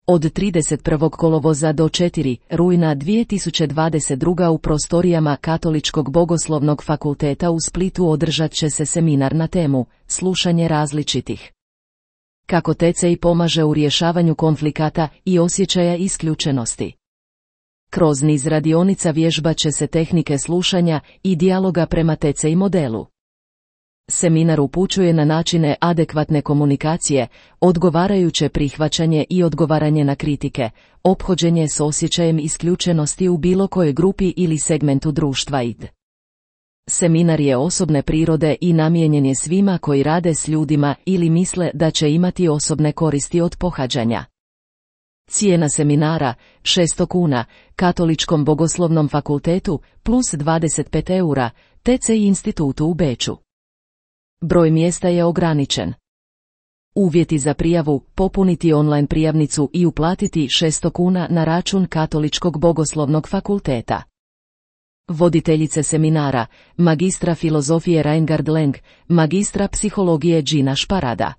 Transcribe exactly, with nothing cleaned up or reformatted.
Od trideset prvog kolovoza do četvrtog rujna dvije tisuće dvadeset druge. u prostorijama Katoličkog bogoslovnog fakulteta u Splitu održat će se seminar na temu Slušanje različitih. Kako T C I pomaže u rješavanju konflikata i osjećaja isključenosti. Kroz niz radionica vježbat će se tehnike slušanja i dijaloga prema T C I modelu. Seminar upućuje na načine adekvatne komunikacije, odgovarajuće prihvaćanje i odgovaranje na kritike, ophođenje s osjećajem isključenosti u bilo kojoj grupi ili segmentu društva itd. Seminar je osobne prirode i namijenjen je svima koji rade s ljudima ili misle da će imati osobne koristi od pohađanja. Cijena seminara šesto kuna, Katoličkom bogoslovnom fakultetu plus dvadeset pet eura, T C I institutu u Beču. Broj mjesta je ograničen. Uvjeti za prijavu: popuniti online prijavnicu i uplatiti šesto kuna na račun Katoličkog bogoslovnog fakulteta. Voditeljice seminara: magistra filozofije Reingard Leng, magistra psihologije Gina Šparada.